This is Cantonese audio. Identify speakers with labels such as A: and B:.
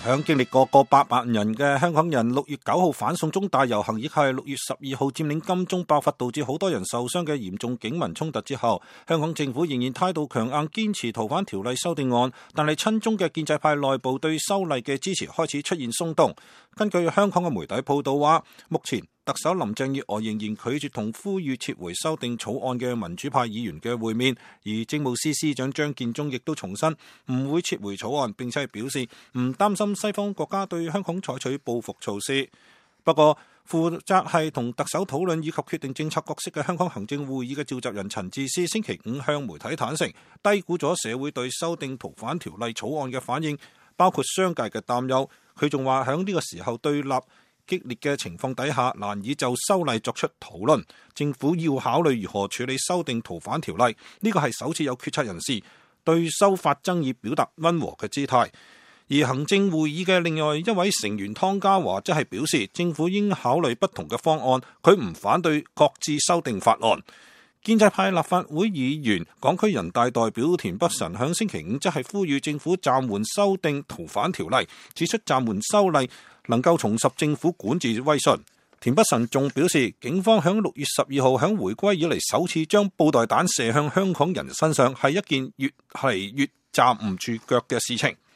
A: 響經歷過過800人嘅香港人6月9號反送中大遊行，亦係6月12號佔領金鐘爆發導致好多人受傷嘅嚴重警民衝突之後，香港政府仍然態度強硬，堅持逃犯條例修訂案，但係親中嘅建制派內部對修例嘅支持開始出現鬆動。根據香港嘅媒體報道話，目前特首林鄭月娥仍然拒絕同呼籲撤回修訂草案嘅民主派議員嘅會面，而政務司司長張建宗亦都重申唔會撤回草案，並且係表示唔擔心西方國家對香港採取報復措施。不過，負責係同特首討論以及決定政策角色嘅香港行政會議嘅召集人陳智思星期五向媒體坦承，低估咗社會對修訂逃犯條例草案嘅反應，包括商界嘅擔憂。佢仲話喺呢個時候對立激烈嘅情況底下，難以就修例作出討論。政府要考慮如何處理修訂逃犯條例，呢個係首次有決策人士對修法爭議表達溫和嘅姿態。而行政會議嘅另外一位成員湯家驊則係表示，政府應考慮不同嘅方案，佢唔反對擱置修訂法案。建制派立法會議員、港區人大代表田北辰響星期五則係呼籲政府暫緩修訂逃犯條例，指出暫緩修例能夠重拾政府管治威信。田北辰仲表示，警方響6月12號響回歸以嚟首次將布袋彈射向香港人身上，係一件越嚟越站唔住腳嘅事情。